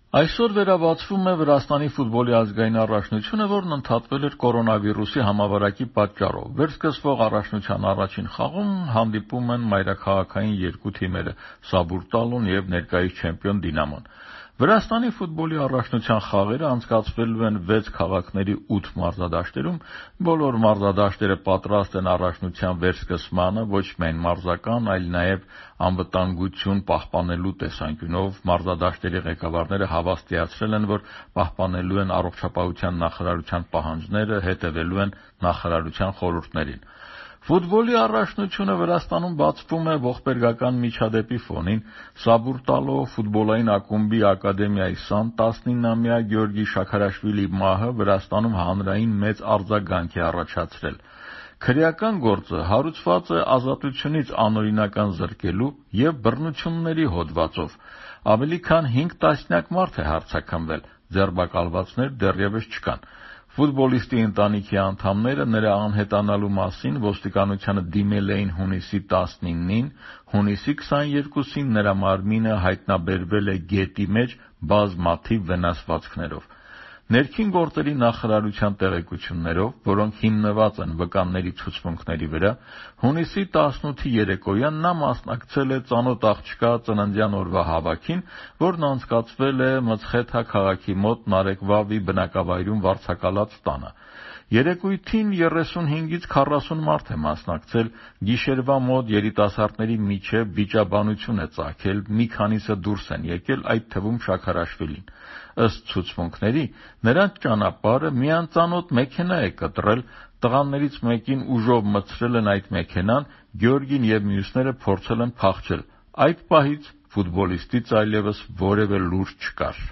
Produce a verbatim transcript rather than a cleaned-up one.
Այսօր վերաբացվում է Վրաստանի ֆուտբոլի ազգային առաջնությունը, որն ընդհատվել էր կորոնավիրուսի համավարակի պատճառով։ Վերսկսվող առաջնության առաջին խաղում հանդիպում են մայրաքաղաքային երկու թիմերը՝ Սաբուրտալուն և ներկայիս չեմպիոն Դինամոն։ Վրաստանի ֆուտբոլի առաջնության խաղերը անցկացվելու են վեց քաղաքների ութ մարզադաշտերում։ Բոլոր մարզադաշտերը պատրաստ են առաջնության վերսկսմանը ոչ միայն մարզական, այլ նաև անվտանգություն պահպանելու տեսանկյունով։ Մարզադաշտերի ղեկավարները հավաստիացրել են, որ պահպանելու են առողջապահության նախարարության պահանջները, հետևելու են նախարարության խորհուրդներին։ Ֆուտբոլի առաջնությունը Վրաստանում բացվում է ողբերգական միջադեպի ֆոնին։ Սաբուրտալո ֆուտբոլային ակումբի ակադեմիայի սան տասնինամյա Գեորգի Շաքարաշվիլի մահը Վրաստանում հանրային մեծ արձագանք է առաջացրել։ Քրեական գործը հարուցված է ազատությունից անօրինական զրկելու և բռնությունների հոդվածով։ Ավելի քան հինգ տասնյակ մարդ է հարձակվել, ձերբակալվածներ դեռևս չկան։ Ֆուտբոլիստի ընտանիքի անդամները նրա անհետանալու մասին ոստիկանությանը դիմել էին հունիսի տասնինին, հունիսի քսաներկուսին նրա մարմինը հայտնաբերվել է գետի մեջ բազմաթիվ վնասվածքներով։ Ներքին գործերի նախարարության տեղեկություններով, որոնք հիմնված են վկանների ցուցմունքների վրա, հունիսի տասնութի երեկոյան նա մասնակցել է ծանոթ աղջկա ծննդյան օրվա հավաքին, որն անցկացվել է Մցխեթա քաղաքի մոտ Նարեկվավի բնակավայրում վարձակալած տանը։ Երեկույթին երեսունհինգից քառասուն մարդ է մասնակցել։ Գիշերվա մոտ երիտասարդների միջև վիճաբանություն է ծագել, մի քանիսը դուրս են եկել, այդ թվում Շաքարաշվիլին։ Ըստ ցուցմունքների, նրանց ճանապարհը մի անծանոթ մեքենա է կտրել, տղաներից մեկին ուժով մտցրել են այդ մեքենան, Գեորգին և մյուսները փորձել են փախչել։ Այդ պահից ֆուտբոլիստից այլևս որևէ լուր չկար։